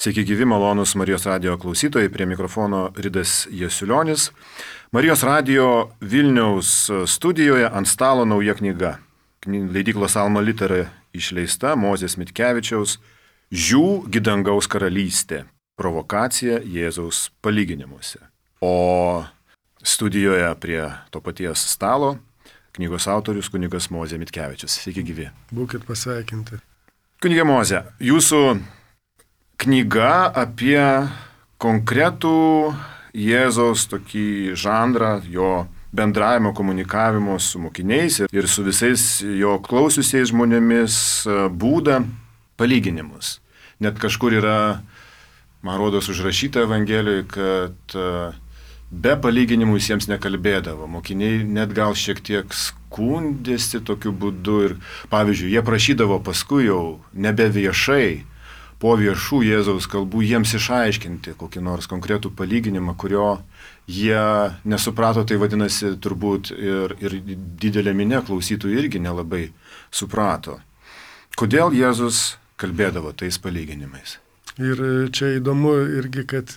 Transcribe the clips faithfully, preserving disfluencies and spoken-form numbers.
Sveiki gyvi, malonus Marijos radijo klausytojai, prie mikrofono Ridas Jasiulionis. Marijos radijo Vilniaus studijoje ant stalo nauja knyga. Leidyklos Alma Litera išleista Mozės Mitkevičiaus Žiū dangaus karalystė. Provokacija Jėzaus palyginimuose. O studijoje prie to paties stalo knygos autorius kunigas Mozė Mitkevičius. Sveiki gyvi. Būkit pasveikinti. Kunige Mozė, jūsų knyga apie konkretų Jėzaus tokį žanrą, jo bendravimo, komunikavimo su mokiniais ir su visais jo klausiusiais žmonėmis būdą palyginimus. Net kažkur yra, man rodos, užrašyta Evangelijoje, kad be palyginimų jis jiems nekalbėdavo. Mokiniai net gal šiek tiek skundėsi tokiu būdu ir, pavyzdžiui, jie prašydavo paskui jau nebe viešai, po viešų Jėzaus kalbų jiems išaiškinti kokį nors konkretų palyginimą, kurio jie nesuprato, tai vadinasi turbūt ir, ir didelė minė klausytojų irgi nelabai suprato. Kodėl Jėzus kalbėdavo tais palyginimais? Ir čia įdomu irgi, kad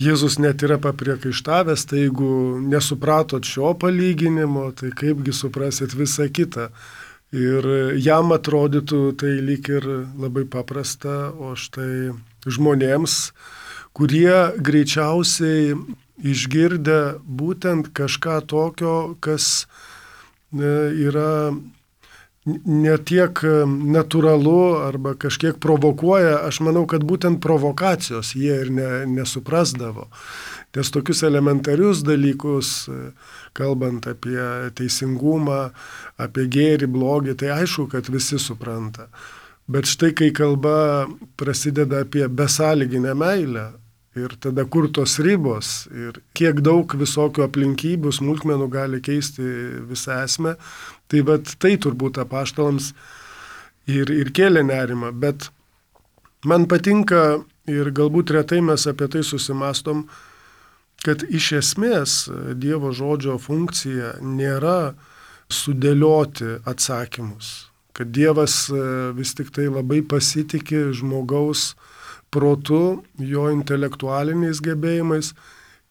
Jėzus net yra papriekaištavęs, tai jeigu nesupratot šio palyginimo, tai kaipgi suprasit visą kitą. Ir jam atrodytų tai lyg ir labai paprasta, o štai žmonėms, kurie greičiausiai išgirdę būtent kažką tokio, kas yra ne tiek natūralu arba kažkiek provokuoja, aš manau, kad būtent provokacijos jie ir ne, nesuprasdavo. Nes tokius elementarius dalykus, kalbant apie teisingumą, apie gėrį, blogį, tai aišku, kad visi supranta. Bet štai kai kalba prasideda apie besąlyginę meilę ir tada kur tos ribos ir kiek daug visokių aplinkybių, smulkmenų gali keisti visą esmę, tai vat tai turbūt apaštalams ir, ir kėlė nerimą. Bet man patinka ir galbūt retai mes apie tai susimastom, kad iš esmės Dievo žodžio funkcija nėra sudėlioti atsakymus, kad Dievas vis tik tai labai pasitiki žmogaus protu, jo intelektualiniais gebėjimais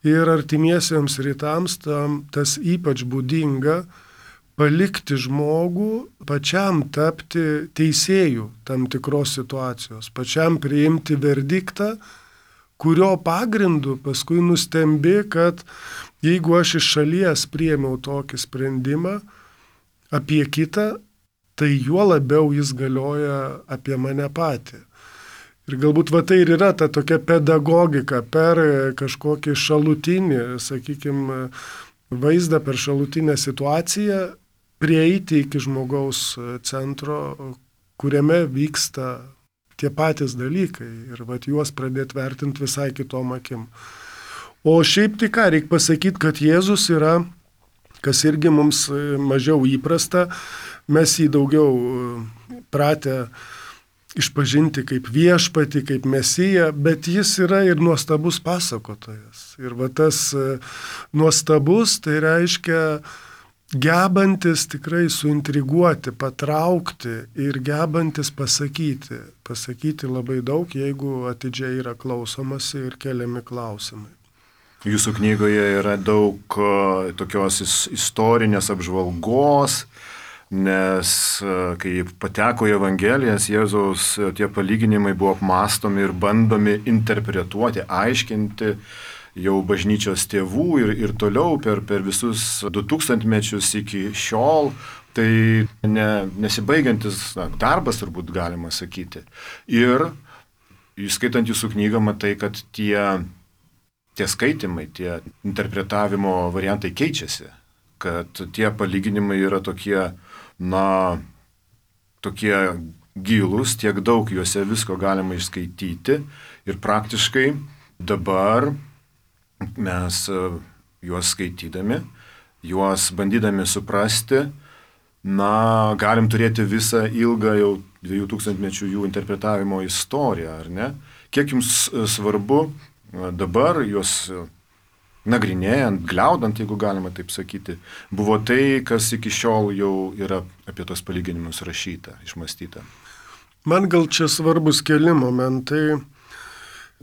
ir artimiesiems rytams tam tas ypač būdinga palikti žmogų pačiam tapti teisėjų tam tikros situacijos, pačiam priimti verdiktą, kurio pagrindu paskui nustembi, kad jeigu aš iš šalies priėmiau tokį sprendimą apie kitą, tai juo labiau jis galioja apie mane patį. Ir galbūt va tai ir yra ta tokia pedagogika per kažkokį šalutinį, sakykime, vaizdą, per šalutinę situaciją, prieiti iki žmogaus centro, kuriame vyksta tie patys dalykai ir vat juos pradėti vertinti visai kitom akim. O šiaip tai ką, reikia pasakyti, kad Jėzus yra, kas irgi mums mažiau įprasta, mes jį daugiau pratę išpažinti kaip viešpatį, kaip mesiją, bet jis yra ir nuostabus pasakotojas. Ir va tas nuostabus, tai reiškia gebantis tikrai suintriguoti, patraukti ir gebantis pasakyti. Pasakyti labai daug, jeigu atidžiai yra klausomasi ir keliami klausimai. Jūsų knygoje yra daug tokios istorinės apžvalgos, nes kai pateko į Evangelijas, Jėzaus tie palyginimai buvo apmąstomi ir bandomi interpretuoti, aiškinti jau bažnyčios tėvų ir, ir toliau per, per visus du tūkstantmečius iki šiol, tai ne, nesibaigiantis na, darbas turbūt galima sakyti. Ir skaitant jūsų knygą matai, kad tie, tie skaitimai, tie interpretavimo variantai keičiasi, kad tie palyginimai yra tokie, na, tokie gilūs, tiek daug juose visko galima išskaityti ir praktiškai dabar mes juos skaitydami, juos bandydami suprasti, na, galim turėti visą ilgą jau dviejų tūkstantmečių jų interpretavimo istoriją, ar ne? Kiek jums svarbu dabar juos nagrinėjant, gliaudant, jeigu galima taip sakyti, buvo tai, kas iki šiol jau yra apie tos palyginimus rašyta, išmąstyta? Man gal čia svarbus keli momentai.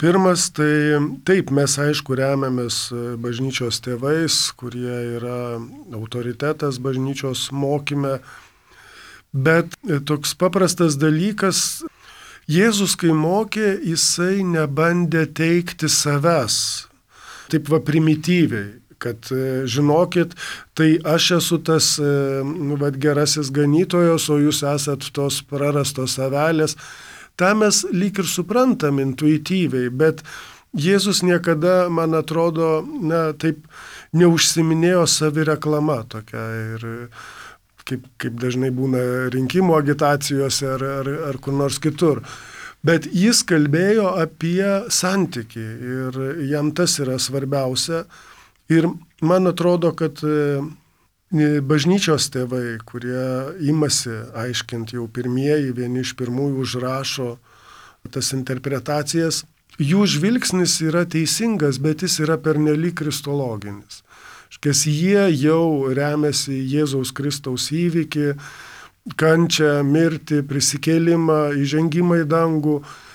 Pirmas, tai taip, mes aišku remiamės bažnyčios tėvais, kurie yra autoritetas bažnyčios mokyme, bet toks paprastas dalykas, Jėzus, kai mokė, jisai nebandė teikti savęs, taip va primityviai, kad žinokit, tai aš esu tas nu, va, gerasis ganytojas, o jūs esat tos prarastos avelės. Ta mes lyg ir suprantam intuityviai, bet Jėzus niekada, man atrodo, na, taip neužsiminėjo savireklama tokia ir kaip, kaip dažnai būna rinkimų agitacijose ar, ar, ar kur nors kitur. Bet jis kalbėjo apie santykį ir jam tas yra svarbiausia. Ir man atrodo, kad bažnyčios tėvai, kurie imasi aiškinti jau pirmieji, vieni iš pirmųjų užrašo tas interpretacijas, jų žvilgsnis yra teisingas, bet jis yra pernelyg kristologinis. Škies jie jau remiasi Jėzaus Kristaus įvykį, kančią, mirtį, prisikėlimą, įžengimą į dangų,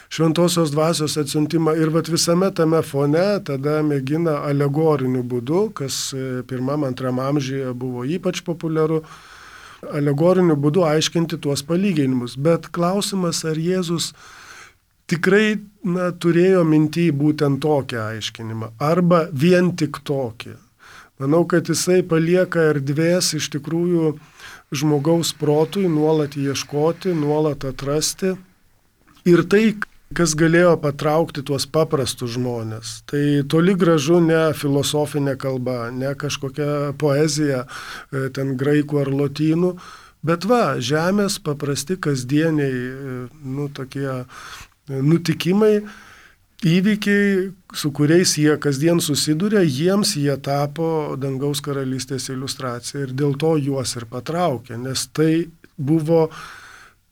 šventosios dvasios atsiuntimą ir vat visame tame fone tada mėgina alegoriniu būdu, kas pirmam, antram amžiuje buvo ypač populiaru, alegoriniu būdu aiškinti tuos palyginimus. Bet klausimas, ar Jėzus tikrai na, turėjo minty būtent tokią aiškinimą, arba vien tik tokį. Manau, kad jisai palieka erdvės iš tikrųjų žmogaus protui nuolat ieškoti, nuolat atrasti. Ir tai, kas galėjo patraukti tuos paprastus žmonės, tai toli gražu ne filosofinė kalba, ne kažkokia poezija, ten graikų ar lotynų, bet va, žemės paprasti kasdieniai, nu, tokie nutikimai, įvykiai, su kuriais jie kasdien susiduria, jiems jie tapo dangaus karalystės iliustracija ir dėl to juos ir patraukė, nes tai buvo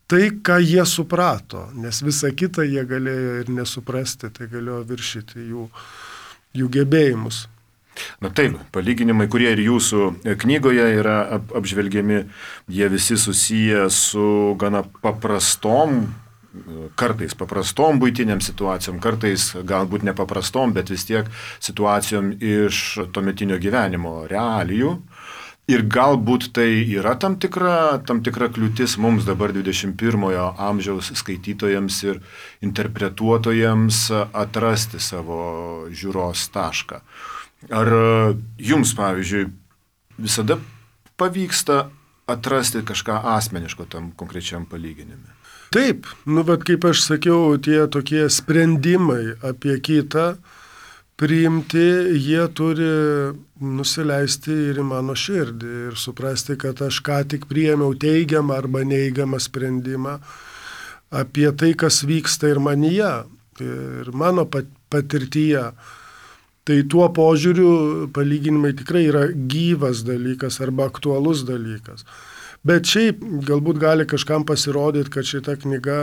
tai, ką jie suprato, nes visą kitą jie galėjo ir nesuprasti, tai galėjo viršyti jų, jų gebėjimus. Na taip, palyginimai, kurie ir jūsų knygoje yra apžvelgiami, jie visi susiję su gana paprastom, kartais paprastom buitiniam situacijom, kartais galbūt nepaprastom, bet vis tiek situacijom iš tuometinio gyvenimo realijų. Ir galbūt tai yra tam tikra, tam tikra kliūtis mums dabar dvidešimt pirmojo amžiaus skaitytojams ir interpretuotojams atrasti savo žiūros tašką. Ar jums, pavyzdžiui, visada pavyksta atrasti kažką asmeniško tam konkrečiam palyginime? Taip, nu, bet kaip aš sakiau, tie tokie sprendimai apie kitą priimti, jie turi nusileisti ir į mano širdį ir suprasti, kad aš ką tik priėmiau teigiamą arba neigiamą sprendimą apie tai, kas vyksta ir manyje, ir mano patirtyje. Tai tuo požiūriu palyginimai tikrai yra gyvas dalykas arba aktualus dalykas. Bet šiaip galbūt gali kažkam pasirodyti, kad šita knyga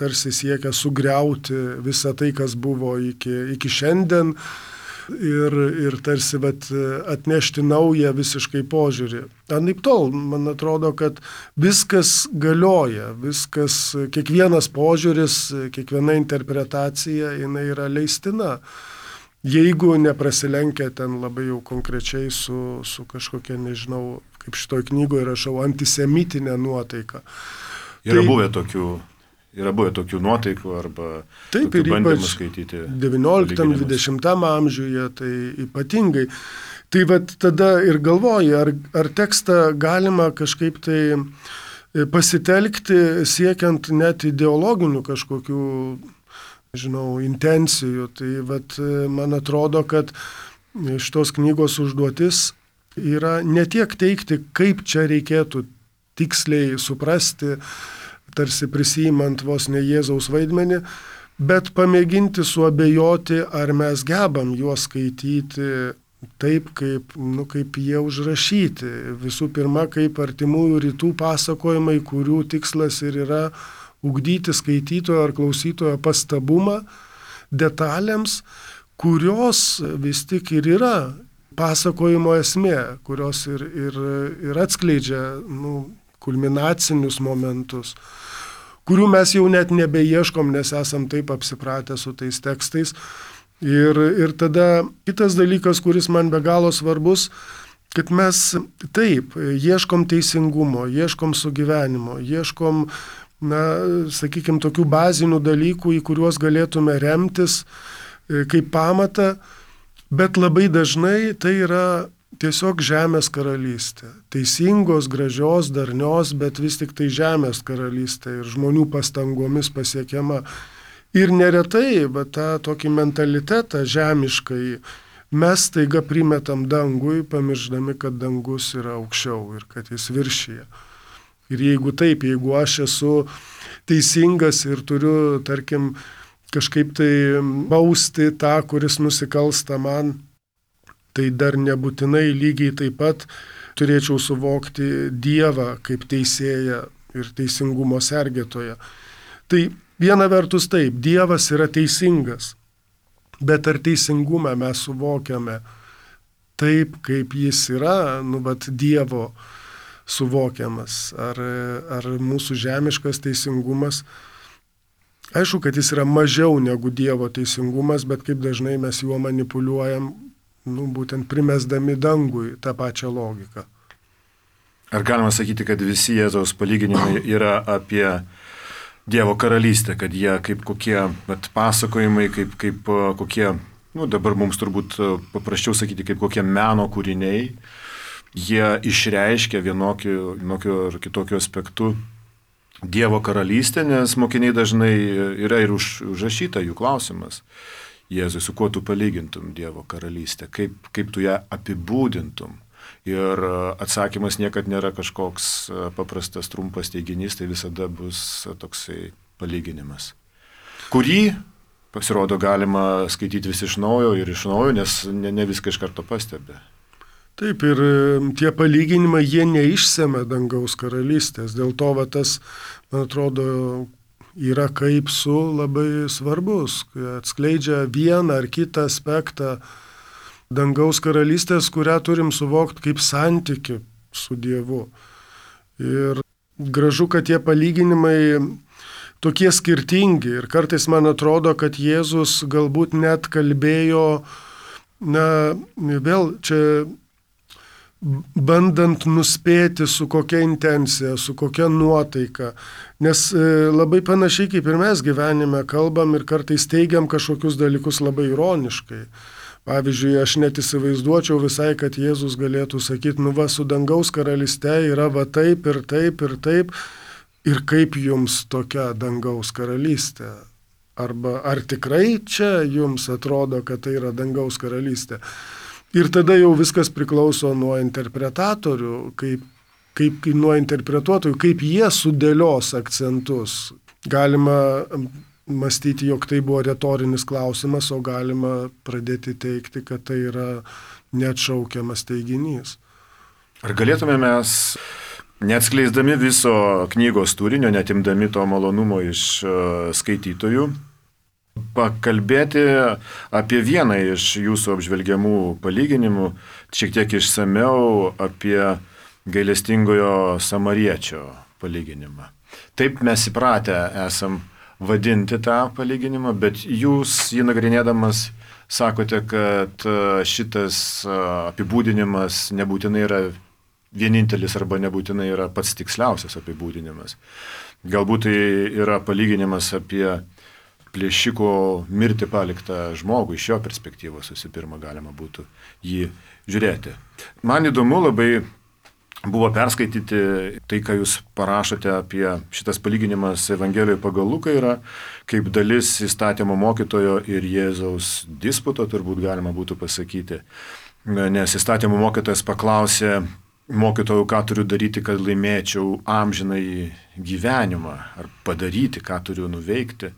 tarsi siekia sugriauti visą tai, kas buvo iki, iki šiandien ir, ir tarsi vat, atnešti naują visiškai požiūrį. Anaiptol, man atrodo, kad viskas galioja, viskas, kiekvienas požiūris, kiekviena interpretacija, jinai yra leistina. Jeigu neprasilenkia ten labai jau konkrečiai su, su kažkokia, nežinau, kaip šitoj knygoje rašau, antisemitinė nuotaika. Yra, tai, buvę tokių, yra buvę tokių nuotaikų arba taip, tokių bandymų skaityti. devynioliktam dvidešimtam amžiuje tai ypatingai. Tai vat tada ir galvoji, ar, ar tekstą galima kažkaip tai pasitelkti siekiant net ideologinių kažkokių, žinau, intencijų. Tai vat, man atrodo, kad šitos knygos užduotis yra ne tiek teikti, kaip čia reikėtų tiksliai suprasti, tarsi prisijimant vos ne Jėzaus vaidmenį, bet pamėginti suabejoti, ar mes gebam juos skaityti taip, kaip, nu, kaip jie užrašyti. Visų pirma, kaip artimųjų rytų pasakojimai, kurių tikslas ir yra ugdyti skaitytojo ar klausytojo pastabumą detalėms, kurios vis tik ir yra pasakojimo esmė, kurios ir, ir, ir atskleidžia nu, kulminacinius momentus, kurių mes jau net nebeieškom, nes esam taip apsipratę su tais tekstais. Ir, ir tada kitas dalykas, kuris man be galo svarbus, kad mes taip ieškom teisingumo, ieškom sugyvenimo, ieškom, na, sakykime, tokių bazinių dalykų, į kuriuos galėtume remtis kaip pamatą, bet labai dažnai tai yra tiesiog žemės karalystė. Teisingos, gražios, darnios, bet vis tik tai žemės karalystė ir žmonių pastangomis pasiekiama. Ir neretai, bet tą tokį mentalitetą žemiškai mes taiga primetam dangui, pamirždami, kad dangus yra aukščiau ir kad jis viršyje. Ir jeigu taip, jeigu aš esu teisingas ir turiu, tarkim, kažkaip tai bausti tą, kuris nusikalsta man, tai dar nebūtinai lygiai taip pat turėčiau suvokti Dievą kaip teisėją ir teisingumo sergėtoją. Tai viena vertus taip, Dievas yra teisingas, bet ar teisingumą mes suvokiame taip, kaip jis yra, nu, bet Dievo suvokiamas, ar, ar mūsų žemiškas teisingumas. Aišku, kad jis yra mažiau negu Dievo teisingumas, bet kaip dažnai mes juo manipuliuojam, nu, būtent primesdami dangui tą pačią logiką. Ar galima sakyti, kad visi Jėzaus palyginimai yra apie Dievo karalystę, kad jie kaip kokie bet, pasakojimai, kaip, kaip kokie, nu, dabar mums turbūt paprasčiau sakyti, kaip kokie meno kūriniai, jie išreiškia vienokiu, vienokiu ar kitokiu aspektu Dievo karalystę, nes mokiniai dažnai yra ir už, užrašyta jų klausimas. Jėzui, su kuo tu palygintum Dievo karalystę, kaip, kaip tu ją apibūdintum. Ir atsakymas niekad nėra kažkoks paprastas, trumpas teiginys, tai visada bus toksai palyginimas, kurį, pasirodo, galima skaityti vis iš naujo ir iš naujo, nes ne, ne viską iš karto pastebi. Taip, ir tie palyginimai, jie neišsemia dangaus karalystės, dėl to va, tas, man atrodo, yra kaip su labai svarbus, atskleidžia vieną ar kitą aspektą dangaus karalystės, kurią turim suvokti kaip santyki su Dievu. Ir gražu, kad tie palyginimai tokie skirtingi ir kartais man atrodo, kad Jėzus galbūt net kalbėjo, na, vėl čia bandant nuspėti, su kokia intencija, su kokia nuotaika. Nes labai panašiai kaip ir mes gyvenime kalbam ir kartais teigiam kažkokius dalykus labai ironiškai. Pavyzdžiui, aš net įsivaizduočiau visai, kad Jėzus galėtų sakyti, nu va, su dangaus karalyste yra va taip ir taip ir taip, ir kaip jums tokia dangaus karalystė. Arba ar tikrai čia jums atrodo, kad tai yra dangaus karalystė. Ir tada jau viskas priklauso nuo interpretatorių, kaip, kaip nuo interpretuotojų, kaip jie sudėlios akcentus. Galima mąstyti, jog tai buvo retorinis klausimas, o galima pradėti teikti, kad tai yra neatšaukiamas teiginys. Ar galėtume mes, neatskleisdami viso knygos turinio, netimdami to malonumo iš skaitytojų, pakalbėti apie vieną iš jūsų apžvelgiamų palyginimų, šiek tiek išsameu apie gailestingojo samariečio palyginimą. Taip mes įpratę esam vadinti tą palyginimą, bet jūs jį nagrinėdamas sakote, kad šitas apibūdinimas nebūtinai yra vienintelis arba nebūtinai yra pats tiksliausias apibūdinimas. Galbūt tai yra palyginimas apie plėšiko mirti paliktą žmogų, iš jo perspektyvos visų pirma galima būtų jį žiūrėti. Man įdomu labai buvo perskaityti tai, ką jūs parašote apie šitas palyginimas Evangelijoje pagal Luką yra, kaip dalis įstatymo mokytojo ir Jėzaus disputo, turbūt galima būtų pasakyti. Nes įstatymo mokytojas paklausė mokytojų, ką turiu daryti, kad laimėčiau amžinąjį gyvenimą, ar padaryti, ką turiu nuveikti.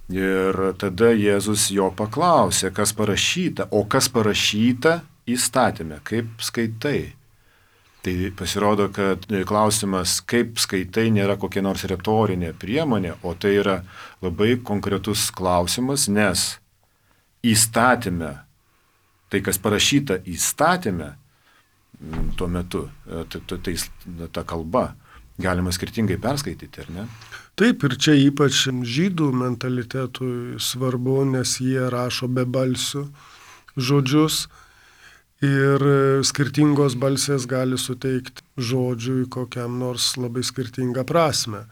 Ir tada Jėzus jo paklausė, kas parašyta, o kas parašyta įstatyme, kaip skaitai. Tai pasirodo, kad klausimas, kaip skaitai, nėra kokia nors retorinė priemonė, o tai yra labai konkretus klausimas, nes įstatyme, tai kas parašyta įstatyme tuo metu, tai, tai ta kalba, galima skirtingai perskaityti, ar ne? Taip, ir čia ypač žydų mentalitetui svarbu, nes jie rašo be balsių žodžius ir skirtingos balsės gali suteikti žodžiui kokiam nors labai skirtingą prasme.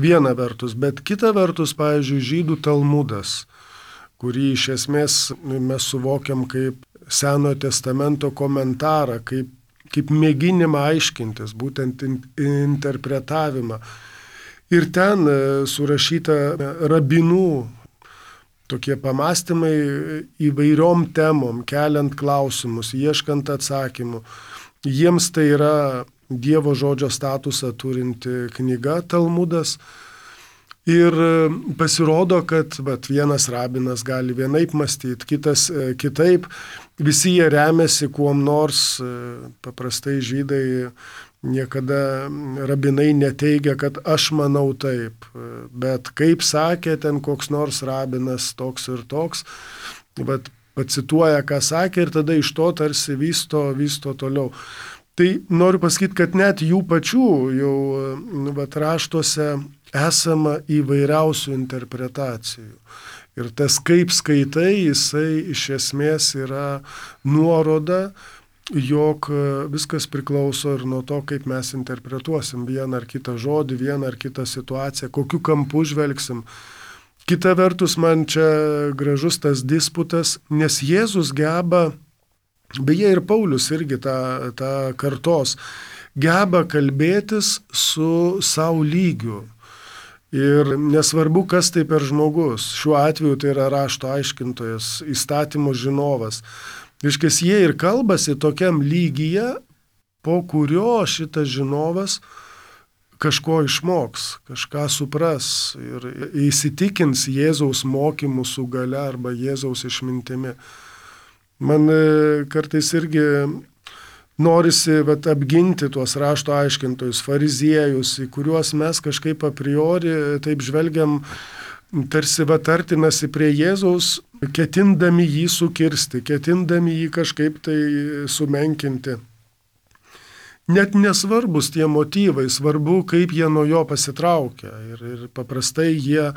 Viena vertus, bet kita vertus, pavyzdžiui, žydų Talmudas, kurį iš esmės mes suvokiam kaip Senojo testamento komentarą, kaip, kaip mėginimą aiškintis, būtent in, interpretavimą. Ir ten surašyta rabinų tokie pamastymai įvairiom temom, keliant klausimus, ieškant atsakymų. Jiems tai yra Dievo žodžio statusą turinti knyga Talmudas. Ir pasirodo, kad vat, vienas rabinas gali vienaip mąstyti, kitas kitaip. Visi jie remiasi kuom nors. Paprastai žydai niekada rabinai neteigia, kad aš manau taip. Bet kaip sakė ten koks nors rabinas toks ir toks, vat, pacituoja, ką sakė ir tada iš to tarsi vysto, vysto toliau. Tai noriu pasakyti, kad net jų pačių jau vat, raštuose esama įvairiausių interpretacijų. Ir tas kaip skaitai, jisai iš esmės yra nuoroda, jog viskas priklauso ir nuo to, kaip mes interpretuosim vieną ar kitą žodį, vieną ar kitą situaciją, kokiu kampu žvelgsim. Kita vertus, man čia gražus tas disputas, nes Jėzus geba, beje ir Paulius irgi tą, tą kartos, geba kalbėtis su savo lygiu. Ir nesvarbu, kas tai per žmogus. Šiuo atveju tai yra rašto aiškintojas, įstatymo žinovas. Reiškia, jie ir kalbasi tokiam lygyje, po kurio šitas žinovas kažko išmoks, kažką supras ir įsitikins Jėzaus mokymų su gale arba Jėzaus išmintimi. Man kartais irgi norisi vat, apginti tuos rašto aiškintojus, fariziejus, į kuriuos mes kažkaip a priori taip žvelgiam, tarsi vat, artinasi prie Jėzaus, ketindami jį sukirsti, ketindami jį kažkaip tai sumenkinti. Net nesvarbus tie motyvai, svarbu, kaip jie nuo jo pasitraukia. Ir, ir paprastai jie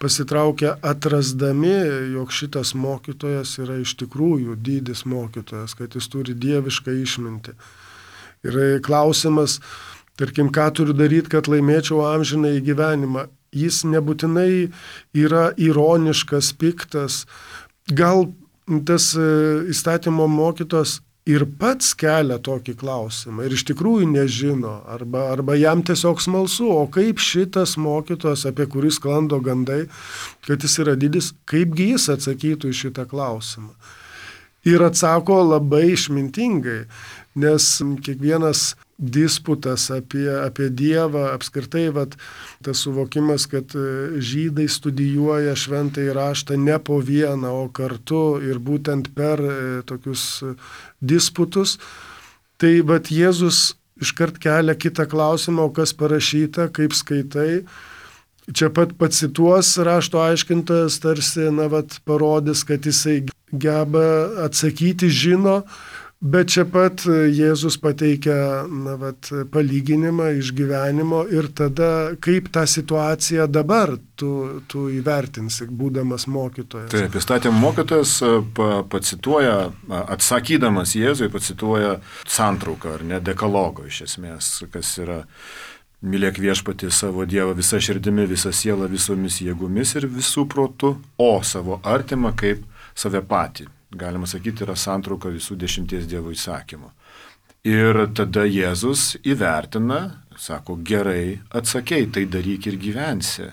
pasitraukia atrasdami, jog šitas mokytojas yra iš tikrųjų didis mokytojas, kad jis turi dievišką išmintį. Ir klausimas, tarkim, ką turiu daryti, kad laimėčiau amžiną į gyvenimą. Jis nebūtinai yra ironiškas, piktas. Gal tas įstatymo mokytojas ir pats kelia tokį klausimą ir iš tikrųjų nežino, arba, arba jam tiesiog smalsu, o kaip šitas mokytojas, apie kurį sklando gandai, kad jis yra didis, kaipgi jis atsakytų į šitą klausimą. Ir atsako labai išmintingai, nes kiekvienas disputas apie, apie Dievą, apskritai vat, tas suvokimas, kad žydai studijuoja šventąjį raštą ne po vieną, o kartu ir būtent per tokius disputus, tai vat, Jėzus iškart kelia kitą klausimą, o kas parašyta, kaip skaitai. Čia pat pacituos rašto aiškintojas, tarsi na, vat, parodys, kad jisai geba atsakyti, žino, bet čia pat Jėzus pateikia na, vat, palyginimą iš gyvenimo ir tada kaip tą situaciją dabar tu, tu įvertinsi, būdamas mokytojas. Taip, įstatymų mokytojas pacituoja, atsakydamas Jėzui, pacituoja santrauką, ar ne, dekalogo iš esmės, kas yra mylėk viešpatį savo Dievą visą širdimi, visą sielą, visomis jėgomis ir visų protų, o savo artimą kaip save patį. Galima sakyti, yra santrauka visų dešimties Dievo įsakymų. Ir tada Jėzus įvertina, sako, gerai atsakei, tai daryk ir gyvensi.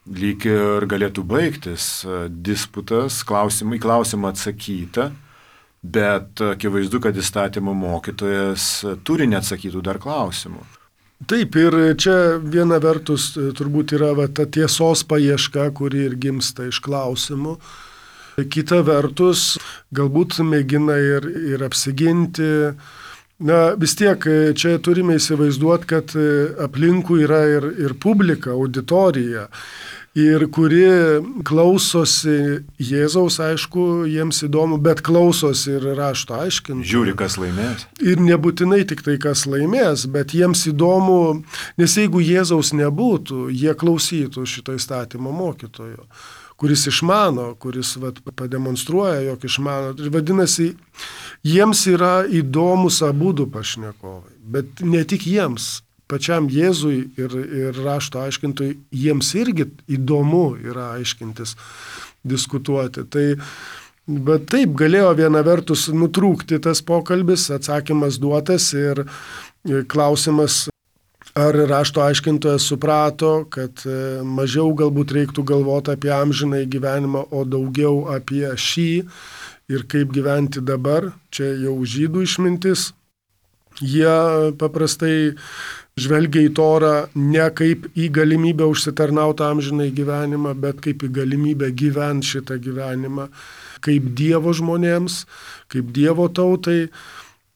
Lyg ir galėtų baigtis disputas, klausimą, į klausimą atsakyta, bet akivaizdu, kad įstatymo mokytojas turi neatsakytų dar klausimų. Taip, ir čia viena vertus turbūt yra va, ta tiesos paieška, kuri ir gimsta iš klausimų. Kita vertus, galbūt mėgina ir, ir apsiginti, Na, vis tiek čia turime įsivaizduoti, kad aplinkui yra ir, ir publika, auditorija, ir kuri klausosi Jėzaus, aišku, jiems įdomu, bet klausosi ir rašto aiškinti. Žiūri, kas laimės. Ir nebūtinai tik tai, kas laimės, bet jiems įdomu, nes jeigu Jėzaus nebūtų, jie klausytų šito įstatymo mokytojo, kuris išmano, kuris vat, pademonstruoja, jog išmano. Ir vadinasi, jiems yra įdomus abudu pašnekovai, bet ne tik jiems, pačiam Jėzui ir, ir rašto aiškintojui, jiems irgi įdomu yra aiškintis, diskutuoti. Tai, bet taip galėjo viena vertus nutrūkti tas pokalbis, atsakymas duotas ir klausimas, ar rašto aiškintojas suprato, kad mažiau galbūt reiktų galvoti apie amžinąjį gyvenimą, o daugiau apie šį ir kaip gyventi dabar. Čia jau žydų išmintis. Jie paprastai žvelgia į Torą ne kaip į galimybę užsitarnauti amžinąjį gyvenimą, bet kaip į galimybę gyventi šitą gyvenimą, kaip Dievo žmonėms, kaip Dievo tautai.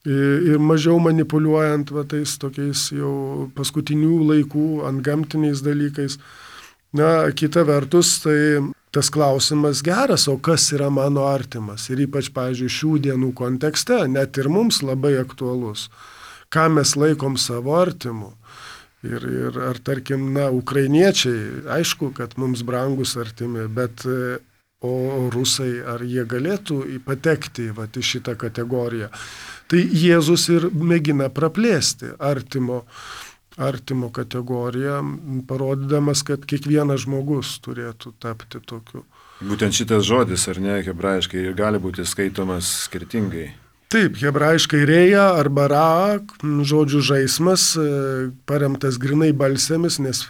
Ir mažiau manipuliuojant va, tais tokiais jau paskutinių laikų antgamtiniais dalykais. Na, kita vertus, tai tas klausimas geras, o kas yra mano artimas? Ir ypač, pavyzdžiui, šių dienų kontekste, net ir mums labai aktualus. Ką mes laikom savo artimu? Ir, ir ar, tarkim, na, ukrainiečiai, aišku, kad mums brangus artimi, bet o rusai, ar jie galėtų patekti va, į šitą kategoriją? Tai Jėzus ir mėgina praplėsti artimo, artimo kategoriją, parodydamas, kad kiekvienas žmogus turėtų tapti tokiu. Būtent šitas žodis, ar ne, hebrajiškai, ir gali būti skaitomas skirtingai. Taip, hebrajiškai reja arba ra, žodžių žaismas, paremtas grinai balsėmis, nes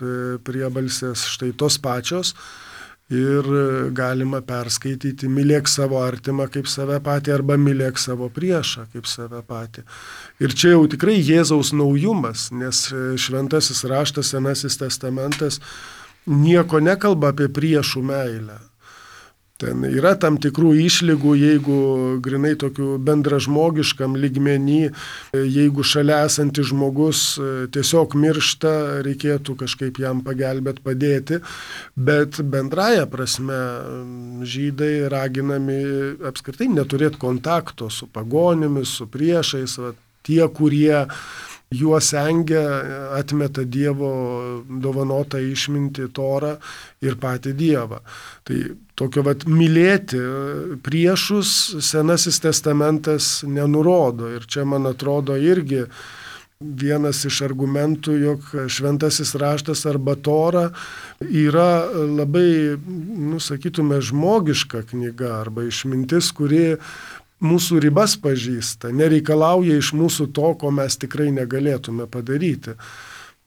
priebalsės štai tos pačios. Ir galima perskaityti mylėk savo artimą kaip save patį arba mylėk savo priešą kaip save patį. Ir čia jau tikrai Jėzaus naujumas, nes šventasis raštas, Senasis testamentas nieko nekalba apie priešų meilę. Ten yra tam tikrų išlygų, jeigu grinai tokių bendražmogiškam lygmenį, jeigu šalia esantis žmogus tiesiog miršta, reikėtų kažkaip jam pagelbėti, padėti, bet bendraja prasme žydai raginami apskritai neturėti kontakto su pagonimis, su priešais, va, tie, kurie juos engia, atmeta Dievo dovanotą išmintį, Torą ir patį Dievą. Tai tokio vat mylėti priešus Senasis testamentas nenurodo. Ir čia, man atrodo, irgi vienas iš argumentų, jog šventasis raštas arba Tora yra labai, nu, sakytume, žmogiška knyga arba išmintis, kuri mūsų ribas pažįsta, nereikalauja iš mūsų to, ko mes tikrai negalėtume padaryti.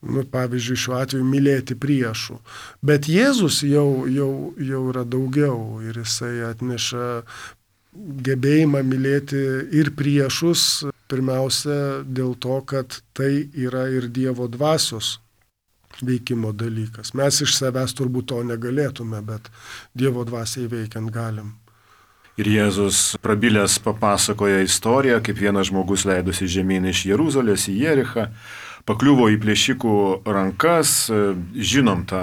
Nu, pavyzdžiui, šiuo atveju mylėti priešų. Bet Jėzus jau, jau, jau yra daugiau ir jisai atneša gebėjimą mylėti ir priešus, pirmiausia dėl to, kad tai yra ir Dievo dvasios veikimo dalykas. Mes iš savęs turbūt to negalėtume, bet Dievo dvasiai veikiant galim. Ir Jėzus prabilęs papasakoja istoriją, kaip vienas žmogus leidosi žemyn iš Jeruzalės į Jerichą, pakliuvo į plėšikų rankas. Žinom tą,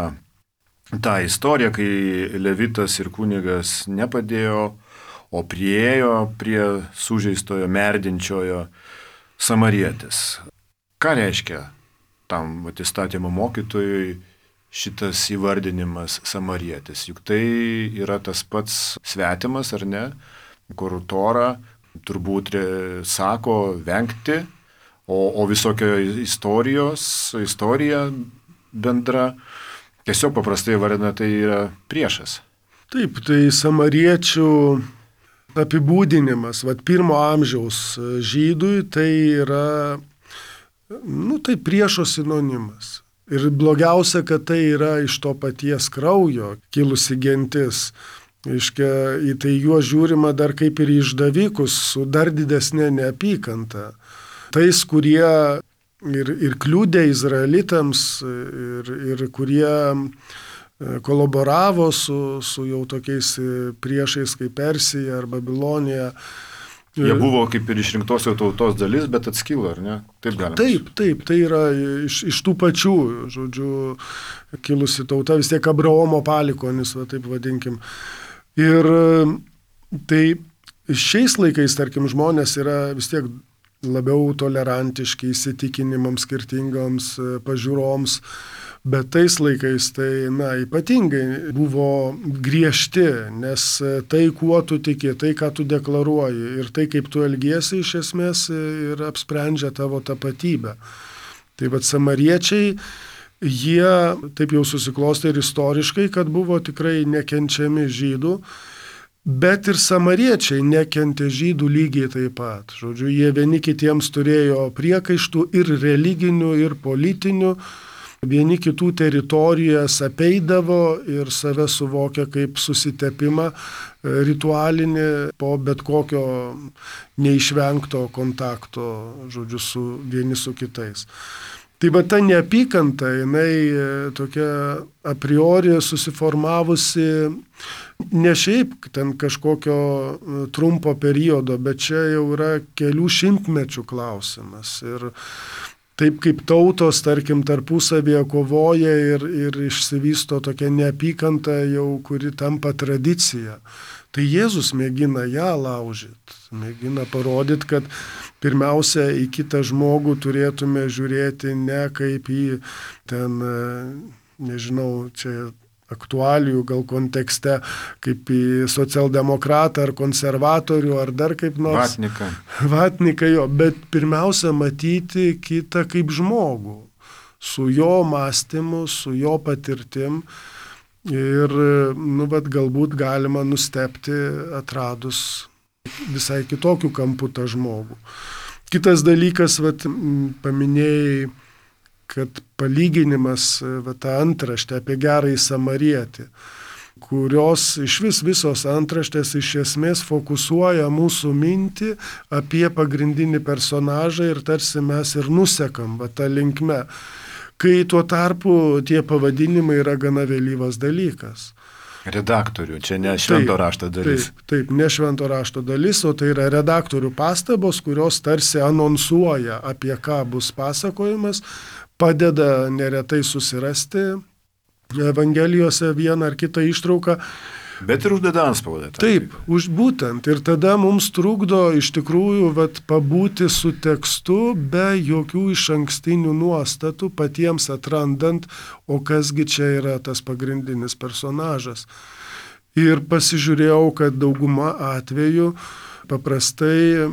tą istoriją, kai levitas ir kunigas nepadėjo, o priėjo prie sužeistojo, merdinčiojo samarietis. Ką reiškia tam įstatymo mokytojui šitas įvardinimas samarietis? Juk tai yra tas pats svetimas, ar ne, kur Tora turbūt sako vengti, o, o visokio istorijos, istorija bendra tiesiog paprastai vardina, tai yra priešas. Taip, tai samariečių apibūdinimas, vat pirmo amžiaus žydui, tai yra, nu, tai priešo sinonimas. Ir blogiausia, kad tai yra iš to paties kraujo kilusi gentis. Iškia, į tai juos žiūrima dar kaip ir išdavikus su dar didesnė neapykanta. Tais, kurie ir, ir kliūdė izraelitams, ir, ir kurie kolaboravo su, su jau tokiais priešais kaip Persija ar Babilonija. Jie buvo kaip ir išrinktosios tautos dalis, bet atskilo, ar ne? Taip galima. Taip, taip, tai yra iš, iš tų pačių, žodžiu, kilusi tauta, vis tiek Abraomo palikonis, va, taip vadinkim. Ir tai šiais laikais, tarkim, žmonės yra vis tiek labiau tolerantiški įsitikinimams, skirtingoms pažiūroms, bet tais laikais tai, na, ypatingai buvo griežti, nes tai, kuo tu tiki, tai, ką tu deklaruoji ir tai, kaip tu elgiesi, iš esmės ir apsprendžia tavo tapatybę. Tai vat samariečiai, jie taip jau susiklostė ir istoriškai, kad buvo tikrai nekenčiami žydų, bet ir samariečiai nekentė žydų lygiai taip pat. Žodžiu, jie vieni kitiems turėjo priekaištų ir religinių, ir politinių, vieni kitų teritorijas apeidavo ir save suvokia kaip susitepimą ritualinį po bet kokio neišvengto kontakto, žodžiu, su vieni su kitais. Tai va ta neapykanta, jinai tokia a priori susiformavusi ne šiaip ten kažkokio trumpo periodo, bet čia jau yra kelių šimtmečių klausimas. Ir taip kaip tautos, tarkim, tarpusavėje kovoja ir, ir išsivysto tokia neapykanta jau, kuri tampa tradicija. Tai Jėzus mėgina ją laužyti, mėgina parodyti, kad pirmiausia į kitą žmogų turėtume žiūrėti ne kaip į ten, nežinau, čia aktualijų gal kontekste, kaip į socialdemokratą ar konservatorių ar dar kaip nors. Vatniką. Vatniką jo, bet pirmiausia matyti kitą kaip žmogų, su jo mąstymu, su jo patirtim ir, nu, bet galbūt galima nustebti atradus visai kitokių kampų tą žmogų. Kitas dalykas, vat, paminėjai, kad palyginimas, va, tą antraštę apie gerąjį samarietį, kurios iš vis visos antraštės iš esmės fokusuoja mūsų mintį apie pagrindinį personažą ir tarsi mes ir nusekam va, tą linkme, kai tuo tarpu tie pavadinimai yra gana vėlyvas dalykas. Redaktorių, čia ne švento rašto dalis. Taip, taip, ne švento rašto dalis, o tai yra redaktorių pastabos, kurios tarsi anonsuoja, apie ką bus pasakojimas, padeda neretai susirasti Evangelijose vieną ar kitą ištrauką. Bet ir uždeda antspaudą. Taip, už būtent. Ir tada mums trukdo iš tikrųjų vat, pabūti su tekstu be jokių išankstinių nuostatų, patiems atrandant, o kasgi čia yra tas pagrindinis personažas. Ir pasižiūrėjau, kad dauguma atvejų paprastai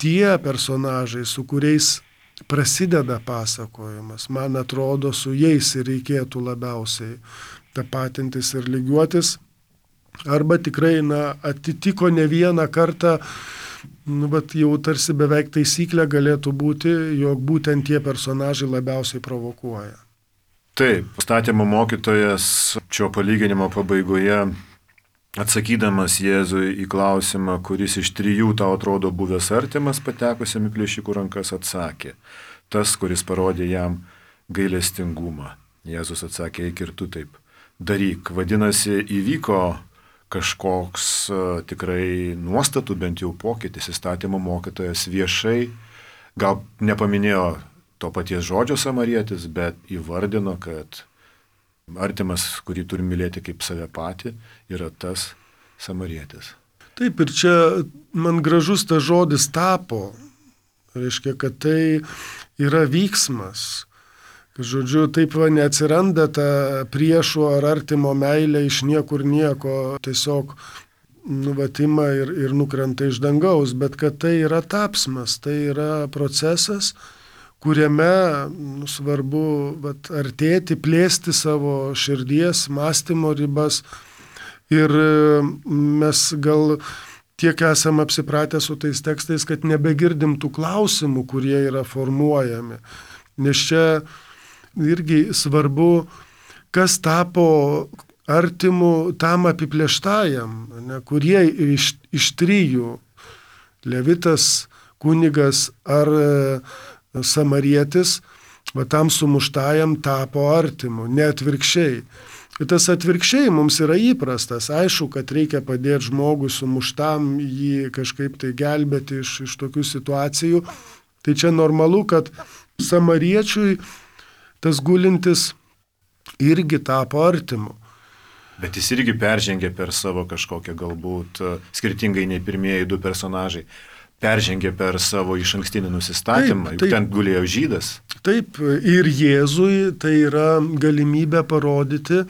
tie personažai, su kuriais prasideda pasakojimas, man atrodo, su jais ir reikėtų labiausiai tapatintis ir lygiuotis. Arba tikrai, na, atitiko ne vieną kartą, nu, bet jau tarsi beveik taisyklė galėtų būti, jog būtent tie personažai labiausiai provokuoja. Taip, statymo mokytojas šio palyginimo pabaigoje, atsakydamas Jėzui į klausimą, kuris iš trijų tau atrodo buvęs artimas patekusiam į plėšikų rankas, atsakė, tas, kuris parodė jam gailestingumą. Jėzus atsakė, eik ir tu taip daryk. Vadinasi, įvyko kažkoks uh, tikrai nuostatų bent jau pokytis, įstatymo mokytojas viešai, gal nepaminėjo to paties žodžio samarietis, bet įvardino, kad artimas, kurį turim mylėti kaip save patį, yra tas samarietis. Taip, ir čia man gražus tas žodis tapo, reiškia, kad tai yra vyksmas. Žodžiu, taip va neatsiranda ta priešų ar artimo meilė iš niekur nieko, tiesiog nuvatima ir, ir nukrenta iš dangaus, bet kad tai yra tapsmas, tai yra procesas, kuriame nu, svarbu vat, artėti, plėsti savo širdies, mąstymo ribas. Ir mes gal tiek esam apsipratę su tais tekstais, kad nebegirdim tų klausimų, kurie yra formuojami. Nes čia irgi svarbu, kas tapo artimu tam apiplėštajam, ne, kurie iš, iš trijų, levitas, kunigas ar e, samarietis, va tam sumuštajam tapo artimu, ne atvirkščiai. Tas atvirkščiai mums yra įprastas. Aišku, kad reikia padėti žmogui sumuštam, jį kažkaip tai gelbėti iš, iš tokių situacijų. Tai čia normalu, kad samariečiui tas gulintis irgi tapo artimu. Bet jis irgi peržengė per savo kažkokią galbūt, skirtingai nei pirmieji du personažai, peržengė per savo išankstinį nusistatymą, juk ten gulėjo žydas. Taip, ir Jėzui tai yra galimybė parodyti,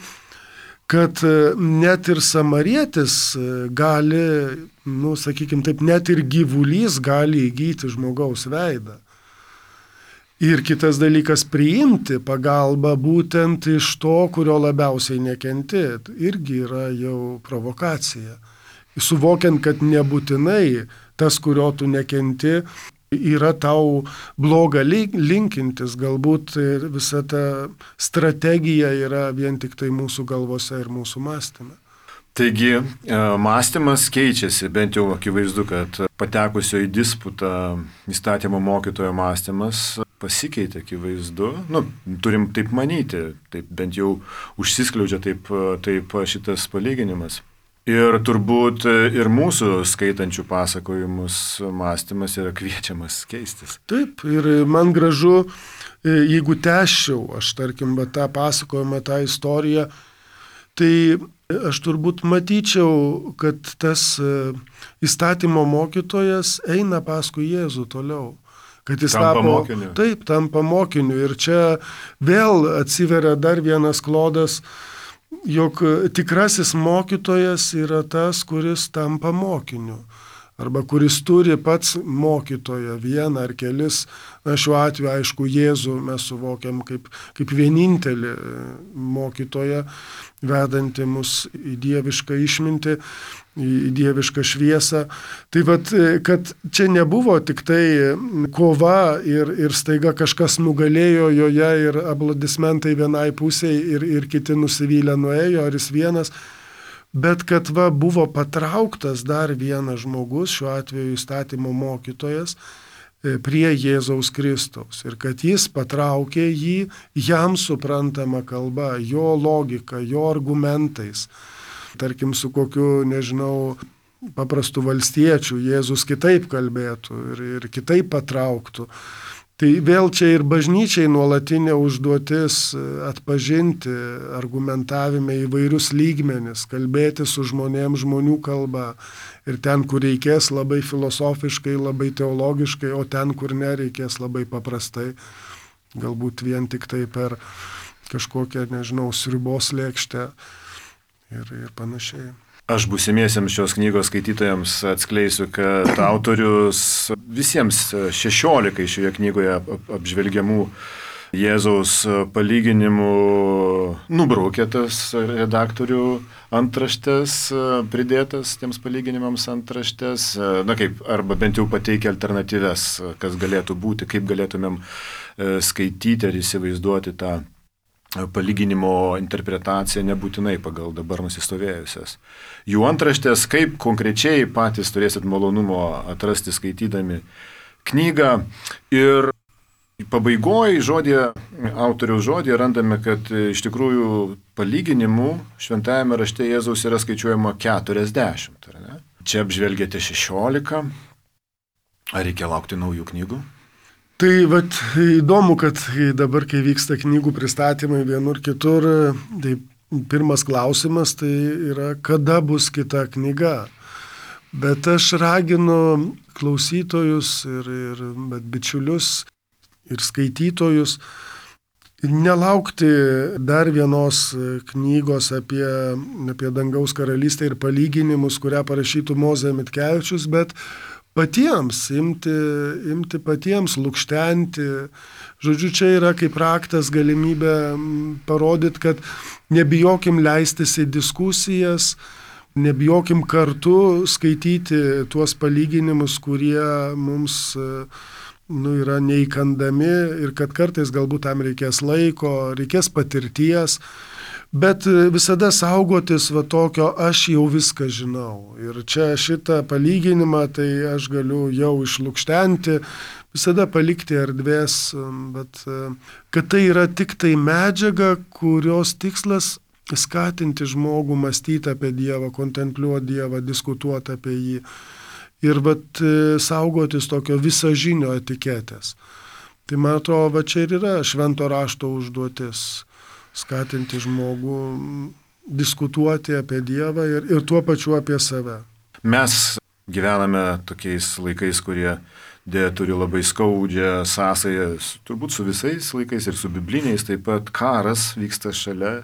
kad net ir samarietis gali, nu, sakykime taip, net ir gyvulys gali įgyti žmogaus veidą. Ir kitas dalykas - priimti pagalbą būtent iš to, kurio labiausiai nekenti. Irgi yra jau provokacija. Suvokiant, kad nebūtinai tas, kurio tu nekenti, yra tau bloga linkintis, galbūt visa ta strategija yra vien tik tai mūsų galvose ir mūsų mąstyme. Taigi, mąstymas keičiasi, bent jau akivaizdu, kad patekusio į disputą įstatymo mokytojo mąstymas pasikeitė, akivaizdu. Nu, turim taip manyti, taip bent jau užsiskleidžia taip, taip šitas palyginimas. Ir turbūt ir mūsų skaitančių pasakojimus mąstymas yra kviečiamas keistis. Taip, ir man gražu, jeigu tęsčiau, aš tarkim, tą pasakojimą, tą istoriją, tai aš turbūt matyčiau, kad tas įstatymo mokytojas eina paskui Jėzų toliau. Kad jis tampa tapo, mokiniu. Taip, tampa mokiniu. Ir čia vėl atsiveria dar vienas klodas, jog tikrasis mokytojas yra tas, kuris tampa mokiniu. Arba kuris turi pats mokytoją, vieną ar kelis. Na, šiuo atveju, aišku, Jėzų mes suvokiam kaip, kaip vienintelį mokytoją, vedantį mus į dievišką išmintį, į dievišką šviesą. Tai vat, kad čia nebuvo tik tai kova ir, ir staiga kažkas nugalėjo joje ir aplodismentai vienai pusiai ir, ir kiti nusivylę nuėjo, ar jis vienas. Bet kad va, buvo patrauktas dar vienas žmogus, šiuo atveju įstatymo mokytojas, prie Jėzaus Kristaus. Ir kad jis patraukė jį jam suprantama kalba, jo logika, jo argumentais. Tarkim, su kokiu, nežinau, paprastu valstiečiu Jėzus kitaip kalbėtų ir, ir kitaip patrauktų. Tai vėl čia ir bažnyčiai nuolatinė užduotis atpažinti argumentavime įvairius lygmenis, kalbėti su žmonėms žmonių kalba ir ten, kur reikės labai filosofiškai, labai teologiškai, o ten, kur nereikės labai paprastai, galbūt vien tik tai per kažkokią, nežinau, sriubos lėkštę ir, ir panašiai. Aš būsimiesiems šios knygos skaitytojams atskleisiu, kad autorius visiems šešiolikai šioje knygoje apžvelgiamų Jėzaus palyginimų nubraukė tas redaktorių antraštės, pridėtas tiems palyginimams antraštės, na kaip, arba bent jau pateikia alternatyves, kas galėtų būti, kaip galėtumėm skaityti ar įsivaizduoti tą palyginimo interpretacija nebūtinai pagal dabar nusistovėjusias. Jų antraštės, kaip konkrečiai patys turėsit malonumo atrasti skaitydami knygą. Ir pabaigoje žodėje, autoriaus žodėje randame, kad iš tikrųjų palyginimų šventajame rašte Jėzaus yra skaičiuojama keturiasdešimt. Ar ne? Čia apžvelgėte šešiolika. Ar reikia laukti naujų knygų? Tai vat, įdomu, kad dabar, kai vyksta knygų pristatymai vienur kitur, tai pirmas klausimas tai yra, kada bus kita knyga. Bet aš raginu klausytojus ir, ir bet bičiulius ir skaitytojus nelaukti dar vienos knygos apie, apie dangaus karalystę ir palyginimus, kurią parašytų Mozė Mitkevičius, bet patiems, imti, imti patiems, lukštenti. Žodžiu, čia yra kaip raktas galimybė parodyti, kad nebijokim leistis į diskusijas, nebijokim kartu skaityti tuos palyginimus, kurie mums nu, yra neįkandami ir kad kartais galbūt tam reikės laiko, reikės patirties. Bet visada saugotis va tokio, aš jau viską žinau. Ir čia šitą palyginimą, tai aš galiu jau išlukštenti, visada palikti erdvės, bet kad tai yra tik tai medžiaga, kurios tikslas skatinti žmogų mąstyti apie Dievą, kontempliuoti Dievą, diskutuoti apie jį ir vat, saugotis tokio visažinio etiketės. Tai man atrodo, va čia ir yra švento rašto užduotis - skatinti žmogų diskutuoti apie Dievą ir, ir tuo pačiu apie save. Mes gyvename tokiais laikais, kurie dėja turi labai skaudžią sąsają, turbūt su visais laikais ir su bibliniais, taip pat karas vyksta šalia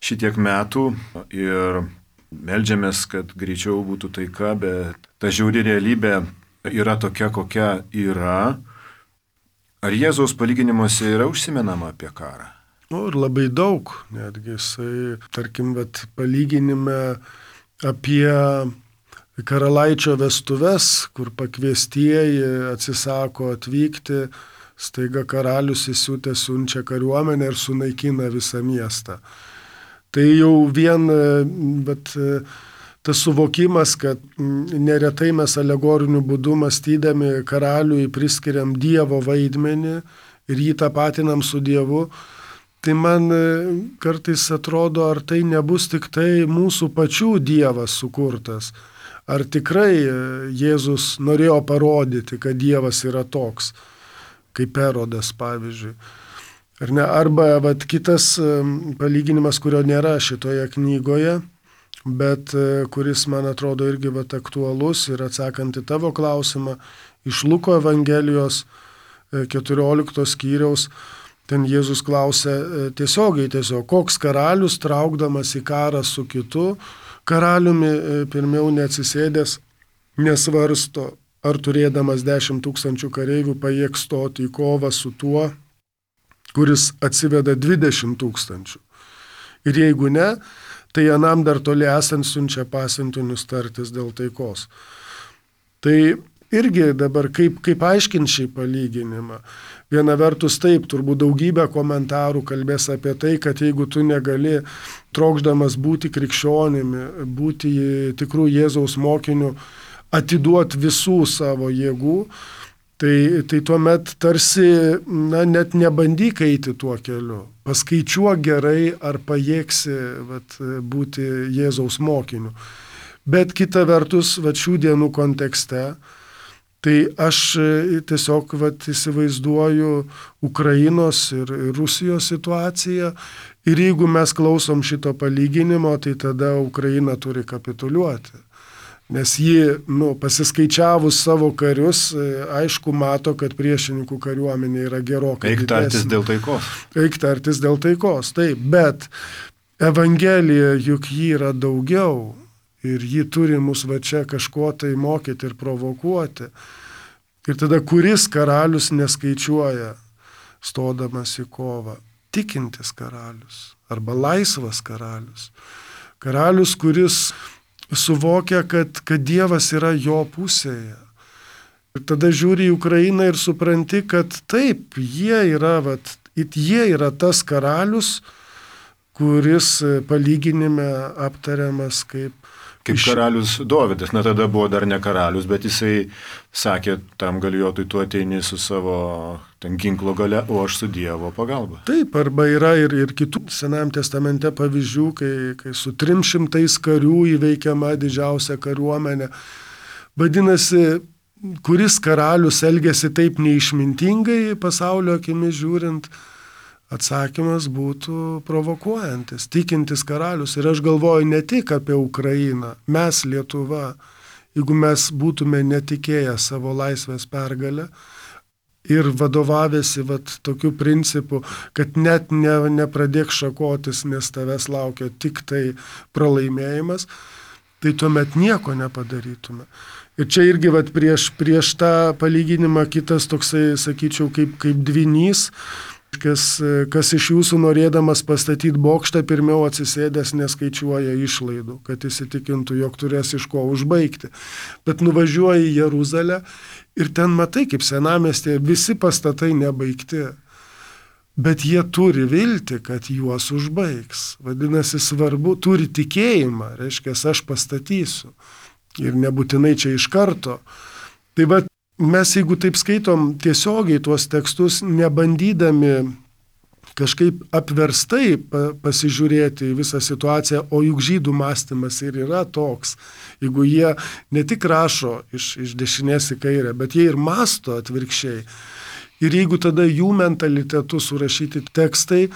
šitiek metų ir meldžiamės, kad greičiau būtų taika, bet ta žiauri realybė yra tokia, kokia yra. Ar Jėzaus palyginimuose yra užsimenama apie karą? Nu, ir labai daug, netgi jisai, tarkim, bet palyginime apie karalaičio vestuves, kur pakviestieji atsisako atvykti, staiga karalius įsiutę siunčia kariuomenę ir sunaikina visą miestą. Tai jau vien bet, tas suvokimas, kad neretai mes alegoriniu būdu mąstydami karaliui priskiriam Dievo vaidmenį ir jį tapatinam su Dievu, tai man kartais atrodo, ar tai nebus tik tai mūsų pačių Dievas sukurtas. Ar tikrai Jėzus norėjo parodyti, kad Dievas yra toks, kaip Erodas, pavyzdžiui. Ar ne? Arba vat, kitas palyginimas, kurio nėra šitoje knygoje, bet kuris, man atrodo, irgi vat, aktualus ir atsakant į tavo klausimą, iš Luko Evangelijos keturioliktos skyriaus, ten Jėzus klausia tiesiogiai tiesiog, koks karalius traukdamas į karą su kitu, karaliumi pirmiau neatsisėdęs, nesvarsto, ar turėdamas dešimt tūkstančių kareivių pajėgs stoti į kovą su tuo, kuris atsiveda dvidešimt tūkstančių. Ir jeigu ne, tai anam dar toli esant siunčia pasiuntinius tartis dėl taikos. Tai irgi dabar kaip, kaip aiškinti šį palyginimą. Viena vertus taip, turbūt daugybė komentarų kalbės apie tai, kad jeigu tu negali, trokšdamas būti krikščionimi, būti tikrų Jėzaus mokiniu, atiduoti visų savo jėgų, tai, tai tuomet tarsi na, net nebandyk eiti tuo keliu. Paskaičiuok gerai, ar pajėgsi vat, būti Jėzaus mokiniu. Bet kita vertus, vat, šių dienų kontekste, tai aš tiesiog vat, įsivaizduoju Ukrainos ir Rusijos situaciją ir jeigu mes klausom šito palyginimo, tai tada Ukraina turi kapituliuoti. Nes ji, nu, pasiskaičiavus savo karius, aišku, mato, kad priešininkų kariuomenė yra gerokai didesnė. Eik tartis dėl taikos. Eik tartis dėl taikos, taip, bet Evangelija juk ji yra daugiau. Ir ji turi mus va čia kažko tai mokyti ir provokuoti. Ir tada kuris karalius neskaičiuoja, stodamas į kovą? Tikintis karalius arba laisvas karalius. Karalius, kuris suvokia, kad, kad Dievas yra jo pusėje. Ir tada žiūri į Ukrainą ir supranti, kad taip, jie yra, vat, jie yra tas karalius, kuris palyginime aptariamas kaip Kaip karalius Dovydas, na tada buvo dar ne karalius, bet jisai sakė tam galijotui, tu ateini su savo ten ginklo gale, o aš su Dievo pagalba. Taip, arba yra ir, ir kitų Senajame testamente pavyzdžių, kai, kai su trim šimtais karių įveikiama didžiausia kariuomenė. Vadinasi, kuris karalius elgėsi taip neišmintingai pasaulio akimis žiūrint, atsakymas būtų provokuojantis, tikintis karalius. Ir aš galvoju ne tik apie Ukrainą, mes Lietuva, jeigu mes būtume netikėję savo laisvės pergalę ir vadovavėsi vat, tokiu principu, kad net ne, nepradėk šakotis, nes tavęs laukia tik tai pralaimėjimas, tai tuomet nieko nepadarytume. Ir čia irgi vat, prieš, prieš tą palyginimą kitas toksai, sakyčiau, kaip, kaip dvinys, Kas, kas iš jūsų norėdamas pastatyti bokštą, pirmiau atsisėdęs neskaičiuoja išlaidų, kad įsitikintų, jog turės iš ko užbaigti. Bet nuvažiuoji į Jeruzalę ir ten matai, kaip senamiestėje visi pastatai nebaigti. Bet jie turi viltį, kad juos užbaigs. Vadinasi, svarbu, turi tikėjimą, reiškia, aš pastatysiu. Ir nebūtinai čia iš karto. Tai va, mes, jeigu taip skaitom tiesiogiai tuos tekstus, nebandydami kažkaip apverstai pasižiūrėti į visą situaciją, o juk žydų mąstymas ir yra toks. Jeigu jie ne tik rašo iš, iš dešinės į kairę, bet jie ir mąsto atvirkščiai. Ir jeigu tada jų mentalitetu surašyti tekstai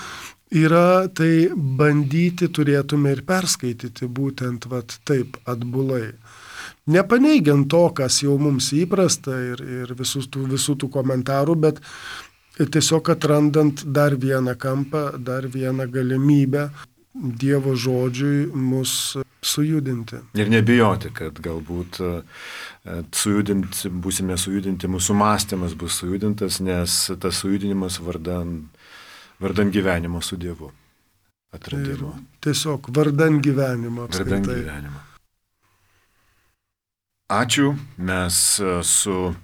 yra, tai bandyti turėtume ir perskaityti būtent vat, taip atbulai. Nepaneigiant to, kas jau mums įprasta ir, ir visų, tų, visų tų komentarų, bet tiesiog atrandant dar vieną kampą, dar vieną galimybę Dievo žodžiui mus sujudinti. Ir nebijoti, kad galbūt sujudinti, būsime sujudinti, mūsų mąstymas bus sujudintas, nes tas sujudinimas vardan, vardan gyvenimo su Dievu. Atradimo. Ir tiesiog vardan gyvenimo. Apskritai. Vardan gyvenimo. Ačiū. Mes su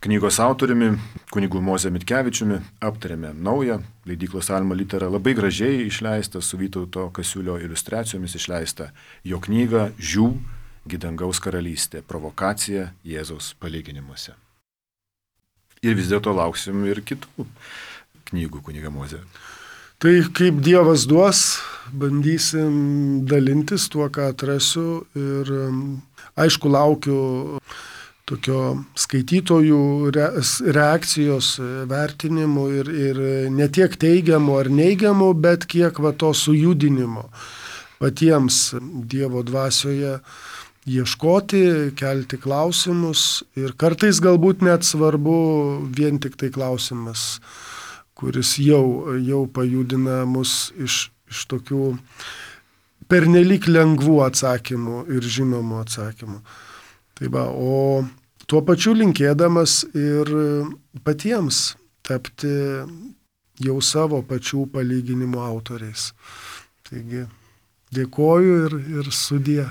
knygos autoriumi, kunigu Moze Mitkevičiumi, aptarėme naują leidyklos Alma Litera, labai gražiai išleistą, su Vytauto Kasiulio iliustracijomis išleistą jo knygą Žiū, Gidangaus karalystė, provokacija Jėzaus palyginimuose. Ir vis dėlto lauksim ir kitų knygų, kuniga Moze. Tai kaip Dievas duos, bandysim dalintis tuo, ką atrasiu, ir aišku laukiu tokio skaitytojų reakcijos, vertinimų ir, ir ne tiek teigiamų ar neigiamų, bet kiek va to sujudinimo patiems Dievo dvasioje ieškoti, kelti klausimus ir kartais galbūt net svarbu vien tik tai klausimas, kuris jau, jau pajudina mus iš, iš tokių pernelyg lengvų atsakymų ir žinomų atsakymų. Tai va, o tuo pačiu linkėdamas ir patiems tapti jau savo pačių palyginimų autoriais. Taigi dėkoju ir, ir sudie.